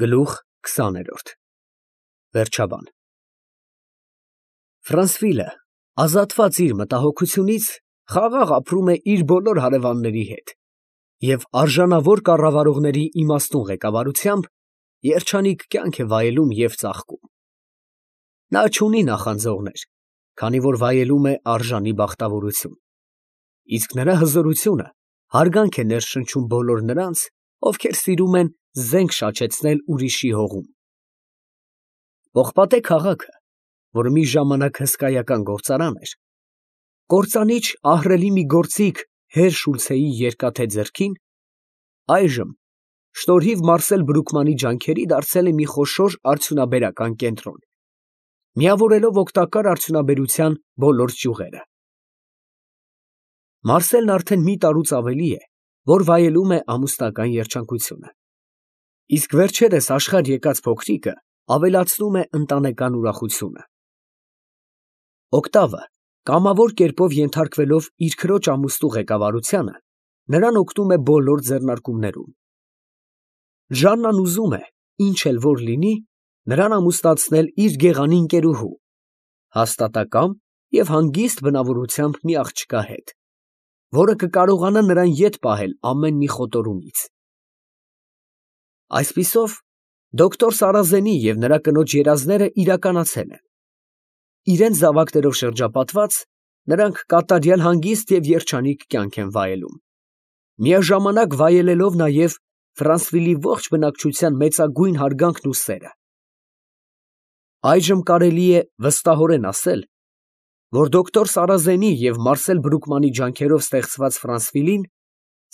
Գլուխ 20 Վերջաբան Ֆրանսվիլը, ազատված իր մտահոգությունից, խաղաղ ապրում է իր բոլոր հարևանների հետ և արժանավոր կառավարողների իմաստուն ղեկավարությամբ երջանիկ կյանք է վայելում և ծաղկում։ Նա չունի նախանձողներ, քանի որ վայելում է արժանի բախտավորություն, իսկ նրա հզորությունը հարգանք է ներշնչում բոլոր նրանց, ովքեր սիրում են զենք շաչեցնել ուրիշի հողում։ Պողպատե քաղաքը, որը մի ժամանակ հսկայական գործարան էր, կործանիչ ահռելի մի գործիք հեր Շուլցեի երկաթե ձեռքին, այժմ շնորհիվ Մարսել Բրուկմանի ջանքերի դարձել է մի խոշոր արդյունաբերական կենտրոն, միավորելով օգտակար արդյունաբերության բոլոր ճյուղերը։ Մարսելն արդեն մի տարուց ավելի է, որ վայելում է ամուսնական երջանկությունը, իսկ վերջերս աշխարհ եկած փոքրիկը ավելացնում է ընտանեկան ուրախությունը։ Օկտավը, կամավոր կերպով ենթարկվելով իր քրոջ ամուսնու ղեկավարությանը, նրան օգնում է բոլոր ձեռնարկումներում։ Ժաննան ուզում է, ինչ էլ որ լինի, նրան ամուսնացնել իր գեղանի ընկերուհու, հաստատակամ և հանգիստ բնավորությամբ մի աղջկա հետ, որը կկարողանա նրան ետ պահել ամեն մի խոտորումից։ Այսպիսով, դոկտոր Սարազենի և նրա կնոջ երազները իրականացել են։ Իրենց զավակներով շրջապատված, նրանք կատարյալ հանգիստ և երջանիկ կյանք են վայելում, միաժամանակ վայելելով նաև Ֆրանսվիլի ողջ բնակչության մեծագույն հարգանքն ու սերը։ Այժմ կարելի է վստահորեն ասել, որ դոկտոր Սարազենի և Մարսել Բրուկմանի ջանքերով ստեղծված Ֆրանսվիլին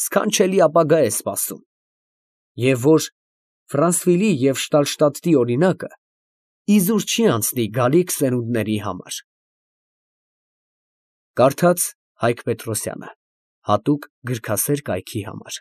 սքանչելի ապագա է սպասում, և որ Ֆրանսվիլի և Շտալշտադտի օրինակը իզուր չի անցնի գալիք սերունդների համար։ Կարդաց Հայկ Պետրոսյանը, հատուկ գրքասեր կայքի համար։